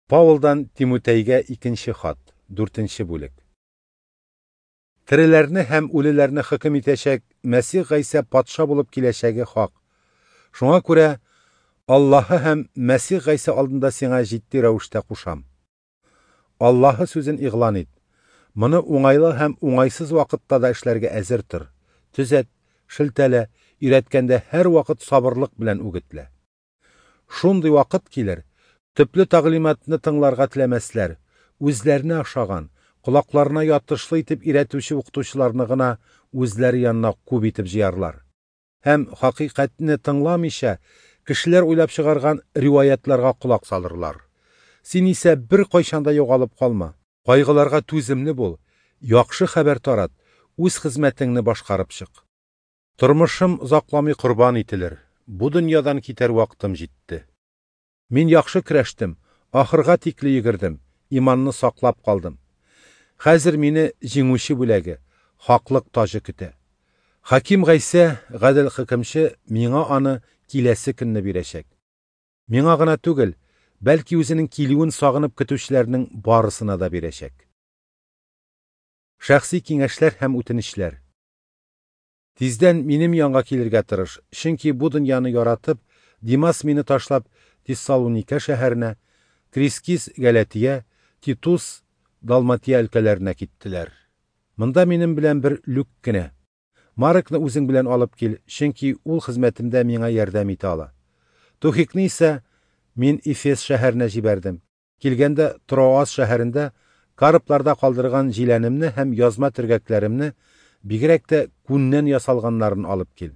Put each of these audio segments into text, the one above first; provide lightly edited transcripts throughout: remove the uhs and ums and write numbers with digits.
Паулдан Тимутәйгә икенче хат, дүртенче бүлек. Тереләрне һәм үлеләрне хөкем итәчәк Мәсих Гайсә патша булып киләчәге хак. Шуңа күрә Аллаһы һәм Мәсих Гайсә алдында сиңа җитди рәвештә кушам. Аллаһы сүзен игълан ит. Моны уңайлы һәм уңайсыз вакытта да эшләргә әзер тор. Төзәт, шелтәлә, өйрәткәндә һәрвакыт сабырлык белән үгетлә. Шундый вакыт килер, төпле тәгълиматны тыңларга теләмәсләр, үзләренә ошаган, колакларына ятышлы итеп өйрәтүче укытучыларны гына үзләре янына күп итеп җыярлар. Һәм хакыйкатьне тыңламыйча, кешеләр уйлап чыгарган риваятларга колак салырлар. Син исә беркайчан да югалып калма, кайгыларга түземле бул, яхшы хәбәр тарат, үз хезмәтеңне башкарып чык. Тормышым озакламый корбан ителер, бу дөньядан китәр вакытым җитте. Мин яхшы көрәштем, ахырга тикле йөгердем, иманны саклап калдым. Хәзер мине җиңүче бүләге, хаклык таҗы көтә. Хаким Гайсә, гадел хөкемче, миңа аны киләсе көнне бирәчәк. Миңа гына түгел, бәлки үзенең килүен сагынып көтүчеләрнең барысына да бирәчәк. Шәхси киңәшләр һәм үтенечләр. Тиздән минем янга килергә тырыш, чөнки бу дөньяны яратып, Димас мине ташлап Тессалоника шәһәренә, Крискис Галатия, Титус Далматия өлкәләренә киттеләр. Монда минем белән бер Люк кенә. Маркны үзең белән алып кил, чөнки ул хезмәтемдә миңа ярдәм итә ала. Тухикны исә мин Эфес шәһәренә җибәрдем. Килгәндә Троас шәһәрендә Карпларда калдырган җиләнемне һәм язма төргәкләремне, бигрәк тә күннән ясалганнарын алып кил.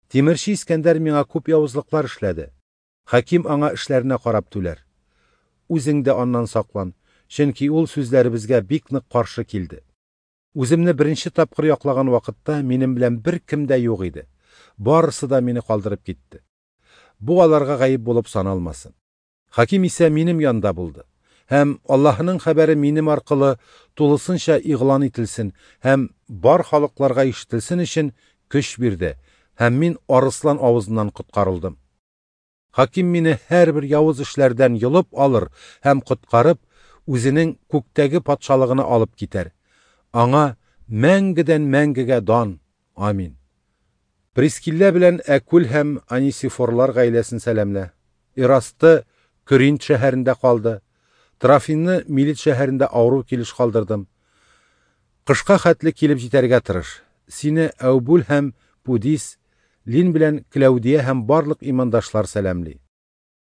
Тимерче Искәндәр миңа күп явызлыклар эшләде. Хаким аңа эшләренә карап түләр. Үзең дә аннан саклан, чөнки ул сүзләребезгә бик нык каршы килде. Үземне беренче тапкыр яклаган вакытта минем белән беркем дә юк иде. Барысы да мине калдырып китте. Бу аларга гаеп булып саналмасын. Хаким исә минем янда булды. Һәм Аллаһының хәбәре минем аркылы тулысынча игълан ителсен һәм бар халыкларга ишетелсен өчен көч бирде, һәм мин арыслан авызыннан коткарылдым. Хаким мине һәрбер явыз эшләрдән йолып алыр һәм коткарып, үзенең күктәге патшалыгына алып китәр. Аңа мәңгедән мәңгегә дан. Амин. Прискилла белән Әкүл һәм Анисифорлар гаиләсен сәламлә. Ирасты Көринт шәһәрендә калды. Трофимны Милит шәһәрендә авыру килеш калдырдым. Кышка хәтле килеп җитәргә тырыш. Сине Әүбүл һәм Пудис, Лин белән Клаудия һәм барлык имандашлар сәламли.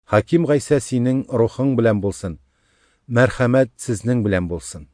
Хаким Гайсә синең рухың белән булсын. Мәрхәмәт сезнең белән булсын.